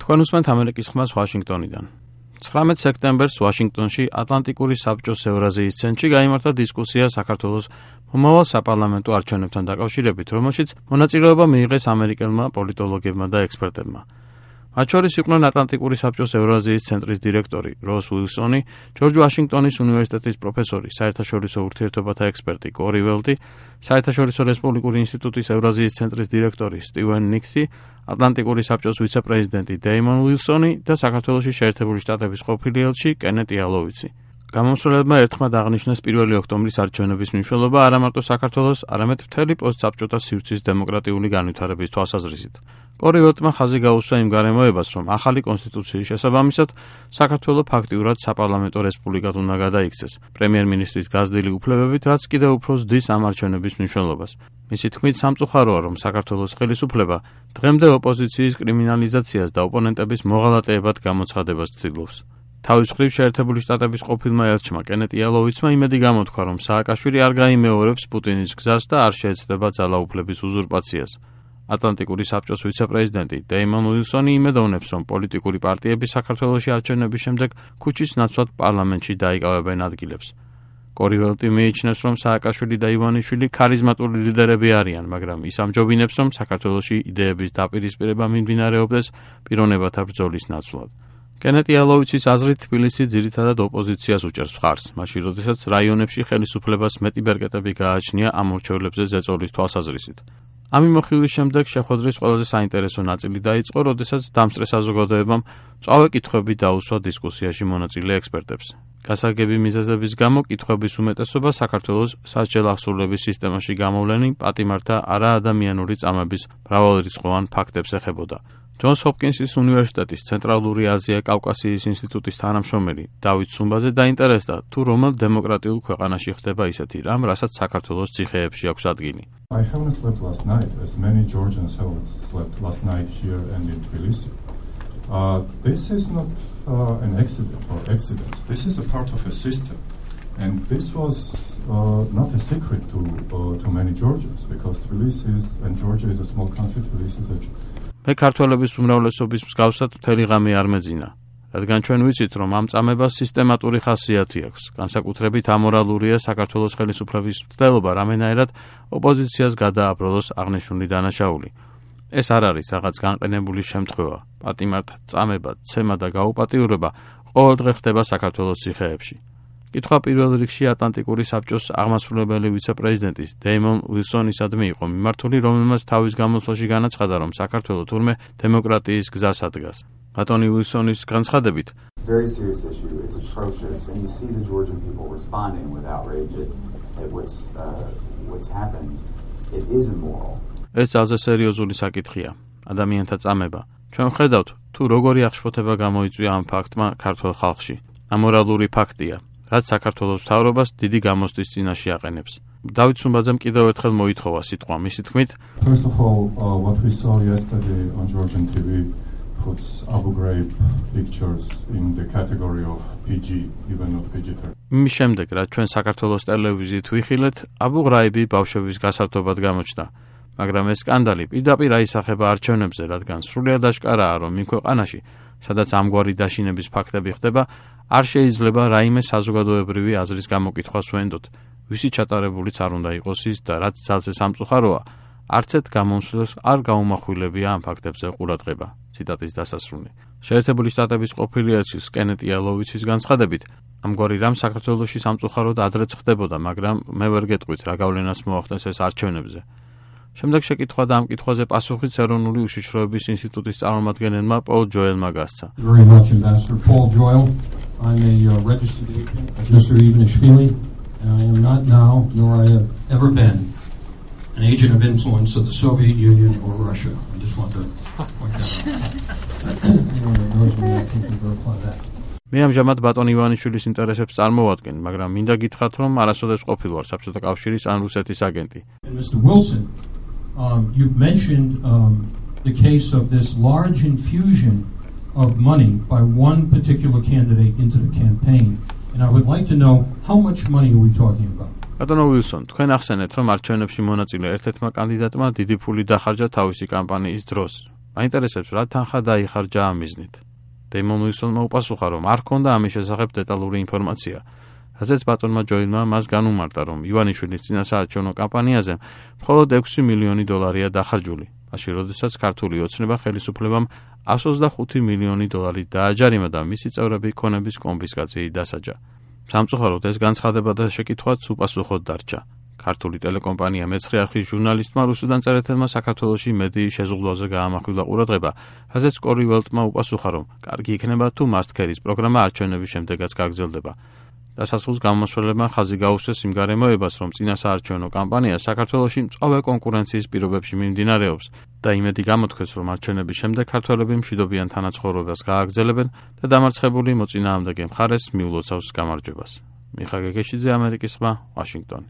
თქვენ უსმენთ ამერიკის ხმას ვაშინგტონიდან. 19 სექტემბერს ვაშინგტონში ატლანტიკური საბჭოს ევრაზიის ცენტრში გაიმართა დისკუსია საქართველოს მომავალ საპარლამენტო არჩევნებთან დაკავშირებით, რომელშიც მონაწილეობა მიიღეს ამერიკელმა პოლიტოლოგებმა და ექსპერტებმა. მათ შორის იყვნენ ატლანტიკური საბჭოს ევრაზიის ცენტრის დირექტორი როს უილსონი, ჯორჯ ვაშინგტონის უნივერსიტეტის პროფესორი, საერთაშორისო ურთიერთობათა ექსპერტი კორი ველტი, საერთაშორისო რესპუბლიკური ინსტიტუტის ევრაზიის ცენტრის დირექტორი სტივენ ნიქსი, ატლანტიკური საბჭოს ვიცე-პრეზიდენტი დეიმონ უილსონი და საქართველოში შეერთებული შტატების ყოფილი ელჩი კენეტ იალოვიცი. გამომსვლელებმა ერთხმად აღნიშნეს 1 ოქტომბრის არჩევნების მნიშვნელობა არა მარტო საქართველოს, არამედ მთელი პოსტსაბჭოთა სივრცის დემოკრატიული განვითარების თვალსაზრისით. კორი ველტმა ხაზი გაუსვა იმ გარემოებას, რომ ახალი კონსტიტუციის შესაბამისად საქართველო ფაქტიურად საპარლამენტო რესპუბლიკად უნდა გადაიქცეს, პრემიერ-მინისტრის გაზრდილი უფლებებით, რაც კიდევ უფრო ზრდის ამ არჩევნების მნიშვნელობას. მისი თქმით, სამწუხაროა, რომ საქართველოს ხელისუფლება დღემდე ოპოზიციის კრიმინალიზაციას და ოპონენტების მოღალატეებად გამოცხადებას ცდილობს. თავის მხრივ შეერთებული შტატების ყოფილმა ელჩმა კენეტ იალოვიცმა იმედი გამოთქვა, რომ სააკაშვილი არ გაიმეორებს პუტინის გზას და არ შეეცდება ძალაუფლების უზურპაციას. ატლანტიკური საბჭოს ვიცე-პრეზიდენტი დეიმონ უილსონი იმედოვნებს, რომ პოლიტიკური პარტიები საქართველოში არჩევნების შემდეგ ქუჩის ნაცვლად პარლამენტში დაიკავებენ ადგილებს. კორი ველტი მიიჩნევს, რომ სააკაშვილი და ივანიშვილი ქარიზმატული ლიდერები არიან, მაგრამ ის ამჯობინებს, რომ საქართველოში იდეების დაპირისპირება მიმდინარეობდეს პიროვნებათა ბრძოლის ნაცვლად. კენეტ იალოვიცის აზრით, თბილისი ძირითადად ოპოზიციას უჭერს მხარს, მაშინ როდესაც რაიონებში ხელისუფლებას მეტი ბერკეტები გააჩნია ამ მორჩევლებზე ზეწოლის თვალსაზრისით. ამ მიმოხილვის შემდეგ შეხვედრის ყველაზე საინტერესო ნაწილი დაიწყო, როდესაც დამსწრე საზოგადოებამ მწვავე კითხვები დაუსვა დისკუსიაში მონაწილე ექსპერტებს. გასაგები მიზეზების გამო კითხვების უმეტესობა საქართველოს სასჯელ აღსრულების სისტემაში გამოვლენი პატიმართა არაადამიანური წამების მრავალრიცხოვან ფაქტებს ეხებოდა. ჯონს ჰოპკინსის უნივერსიტეტის ცენტრალური აზია-კავკასიის ინსტიტუტის თანამშრომელი დავით სუმბაძე დაინტერესდა, თუ რომელ დემოკრატიულ ქვეყანაში ხდება ისეთი რამ, რასაც საქართველოს ციხეებში აქვს ადგილი. I haven't slept last night, as many Georgians haven't slept last night here and in Tbilisi. This is not an accident or accidents. This is a part of a system. And this was not a secret to many Georgians, because Tbilisi and Georgia is a small country. Tbilisi is a მე ქართველების უმრავლესობის მსგავსად მთელი ღამე არ მეძინა, რადგან ჩვენ ვიცით, რომ ამ წამებას სისტემატური ხასიათი აქვს. განსაკუთრებით ამორალურია საქართველოს ხელისუფლების მცდელობა რამენაერად ოპოზიციას გადააბრალოს აღნიშნული დანაშაული. ეს არ არის რაღაც განყენებული შემთხვევა. პატიმართა წამება, ცემა და გაუპატიურება ყოველდღე ხდება საქართველოს ციხეებში. კითხვა პირველ რიგში ატლანტიკური საბჭოს აღმასრულებელი ვიცე-პრეზიდენტის დეიმონ უილსონისადმი იყო მიმართული, რომელმაც თავის გამოსვლაში განაცხადა, რომ საქართველო თურმე დემოკრატიის გზას ადგას. ბატონი უილსონის განცხადებით, Very serious issue. It's atrocious, and you see the Georgian people responding with outrage at what's happened. It is immoral. ეს ძალზე სერიოზული საკითხია. ადამიანთა წამება. ჩვენ ვხედავთ, თუ როგორი აღშფოთება გამოიწვია ამ ფაქტმა ქართულ ხალხში. ამორალური ფაქტია, რაც საქართველოს მთავრობას დიდი გამოსტის წინაშე აყენებს. დავით სუმბაძემ კიდევ ერთხელ მოითხოვა სიტყვა, მისი თქმით, First of all, what we saw yesterday on Georgian TV puts Abu Ghraib pictures in the category of PG, even not PG-13. მის შემდეგ, რაც ჩვენ საქართველოს ტელევიზიით ვიხილეთ, აბუ ღრაიბი ბავშვების გასართობად გამოჩნდა. მაგრამ ეს სკანდალი პირდაპირ აისახება არჩევნებზე, რადგან სრულიად აშკარაა, რომ იმ ქვეყანაში, სადაც ამგვარი დაშინების ფაქტები ხდება, არ შეიძლება რაიმე საზოგადოებრივი აზრის გამოკითხვას ვენდოთ, ვისი ჩატარებულიც არ უნდა იყოს ის და რაც ძალზე სამწუხაროა, არც ერთ გამომსვლელს არ გაუმახვილებია ამ ფაქტებზე ყურადღება. ციტატის დასასრული. შეერთებული შტატების ყოფილი ელჩის კენეტ იალოვიცის განცხადებით, ამგვარი რამ საქართველოში სამწუხაროდ ადრეც ხდებოდა, მაგრამ მე ვერ გეტყვით, რა გავლენას მოახდენს ეს არჩევნებზე. შემდეგ შეკითხვა და ამ კითხვაზე პასუხიც ეროვნული უშიშროების ინსტიტუტის წარმომადგენელმა პოლ ჯოელმა გასცა. Very much, Ambassador Paul Joel. I'm a registered agent of Mr. Ivanishvili, and I am not now, nor I have ever been, an agent of influence of the Soviet Union or Russia. I just want to point that out. Anyone who knows me, I think can verify that. მე ამჟამად ბატონ ივანიშვილის ინტერესებს წარმოვადგენ, მაგრამ მინდა გითხრათ, რომ არასოდეს ყოფილ ვარ საბჭოთა კავშირის ან რუსეთის აგენტი. And Mr. Wilson, you've mentioned the case of this large infusion of money by one particular candidate into the campaign, and I would like to know how much money are we talking about? ბატონო უილსონ, თქვენ ახსენეთ, რომ არჩევნებში მონაწილე ერთ-ერთმა კანდიდატმა დიდი ფული დახარჯა თავისი კამპანიის დროს. მაინტერესებს რა თანხა დაიხარჯა ამ მიზნით. დეიმონ უილსონმა უპასუხა, რომ არ ჰქონდა ამის შესახებ დეტალური ინფორმაცია, რაზეც ბატონმა ჯოელმა მას განუმარტა, რომ ივანიშვილის წინასაარჩევნო კამპანიაზე მხოლოდ $6 მილიონი დახარჯული, მაშინ როდესაც ქართული ოცნება ხელისუფლებამ $125 მილიონი დააჯარიმა და მისი წევრები ქონების კონფისკაციით დასაჯა. სამწუხაროდ ეს განცხადება და შეკითხვაც უპასუხოდ დარჩა. ქართული ტელეკომპანია მეცხრე არხის ჟურნალისტმა რუსუდან წერეთელმა საქართველოში მედიის შეზღუდვაზე გაამახვილა ყურადღება, რაზეც კორი ველტმა უპასუხა, რომ კარგი იქნება თუ მასტქერის პროგრამა არჩევნების შემდეგაც გაგრძელდება. დასასრულს გამომსვლელებმა ხაზი გაუსვეს იმ გარემოებას, რომ წინასაარჩევნო კამპანია საქართველოში მწვავე კონკურენციის პირობებში მიმდინარეობს და იმედი გამოთქვეს, რომ არჩევნების შემდეგ ქართველები მშვიდობიან თანაცხოვრებას გააგრძელებენ და დამარცხებული მოწინააღმდეგე მხარეს მიულოცავს გამარჯვებას. მიხა გეგეშიძე, ამერიკის ხმა, ვაშინგტონი.